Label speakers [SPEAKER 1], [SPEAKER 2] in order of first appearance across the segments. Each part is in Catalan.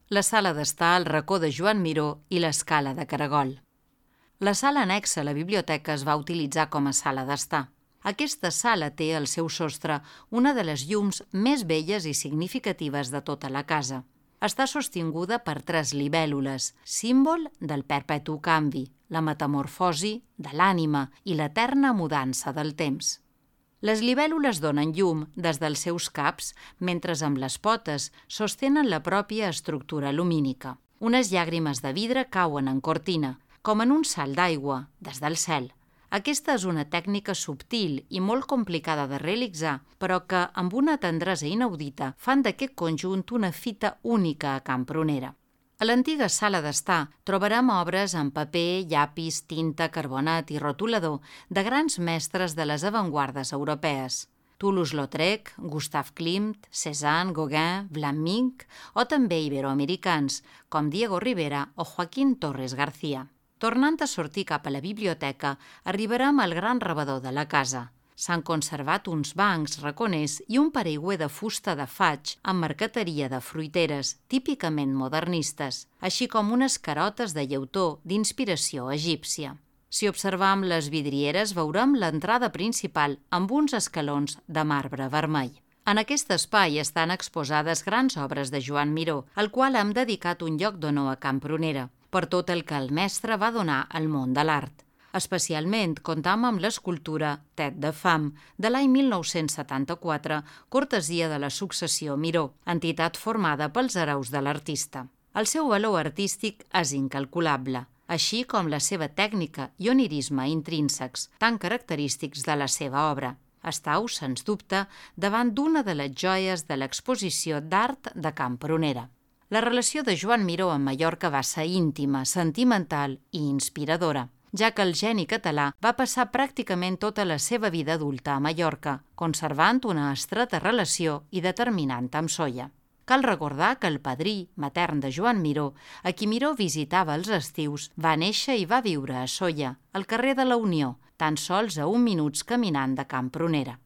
[SPEAKER 1] la sala d'estar, el racó de Joan Miró i l'escala de caragol. La sala annexa a la biblioteca es va utilitzar com a sala d'estar. Aquesta sala té al seu sostre una de les llums més belles i significatives de tota la casa. Està sostinguda per 3 libèl·lules, símbol del perpetu canvi, la metamorfosi de l'ànima i l'eterna mudança del temps. Les libèl·lules donen llum des dels seus caps, mentre amb les potes sostenen la pròpia estructura lumínica. Unes llàgrimes de vidre cauen en cortina, com en un salt d'aigua, des del cel. Aquesta és una tècnica subtil i molt complicada de realitzar, però que, amb una tendresa inaudita, fan d'aquest conjunt una fita única a Can Prunera. A l'antiga sala d'estar trobarem obres en paper, llapis, tinta, carbonat i rotulador de grans mestres de les avantguardes europees. Toulouse-Lautrec, Gustav Klimt, Cézanne, Gauguin, Vlaminck o també iberoamericans, com Diego Rivera o Joaquín Torres García. Tornant a sortir cap a la biblioteca, arribarem al gran rebedor de la casa. S'han conservat uns bancs raconers i un paraigüer de fusta de faig amb marqueteria de fruiteres, típicament modernistes, així com unes carotes de llautó d'inspiració egípcia. Si observam les vidrieres, veurem l'entrada principal amb uns escalons de marbre vermell. En aquest espai estan exposades grans obres de Joan Miró, al qual hem dedicat un lloc d'honor a Can Prunera, per tot el que el mestre va donar al món de l'art. Especialment comptam amb l'escultura Tet de fam, de l'any 1974, cortesia de la successió Miró, entitat formada pels hereus de l'artista. El seu valor artístic és incalculable, així com la seva tècnica i onirisme intrínsecs, tan característics de la seva obra. Estau, sens dubte, davant d'una de les joies de l'exposició d'art de Can Prunera. La relació de Joan Miró amb Mallorca va ser íntima, sentimental i inspiradora, ja que el geni català va passar pràcticament tota la seva vida adulta a Mallorca, conservant una estreta relació i determinant amb Sóller. Cal recordar que el padrí matern de Joan Miró, a qui Miró visitava els estius, va néixer i va viure a Sóller, al carrer de la Unió, tan sols a 1 minuts caminant de Can Prunera.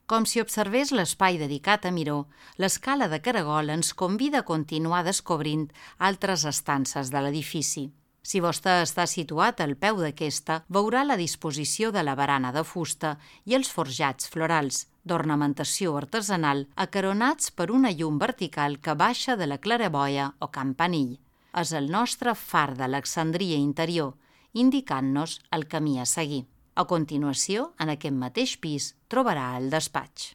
[SPEAKER 1] Com si observés l'espai dedicat a Miró, l'escala de caragol ens convida a continuar descobrint altres estances de l'edifici. Si vostè està situat al peu d'aquesta, veurà la disposició de la barana de fusta i els forjats florals, d'ornamentació artesanal, acaronats per una llum vertical que baixa de la claraboia o campanill. És el nostre far d'Alexandria interior, indicant-nos el camí a seguir. A continuació, en aquest mateix pis, trobarà el despatx.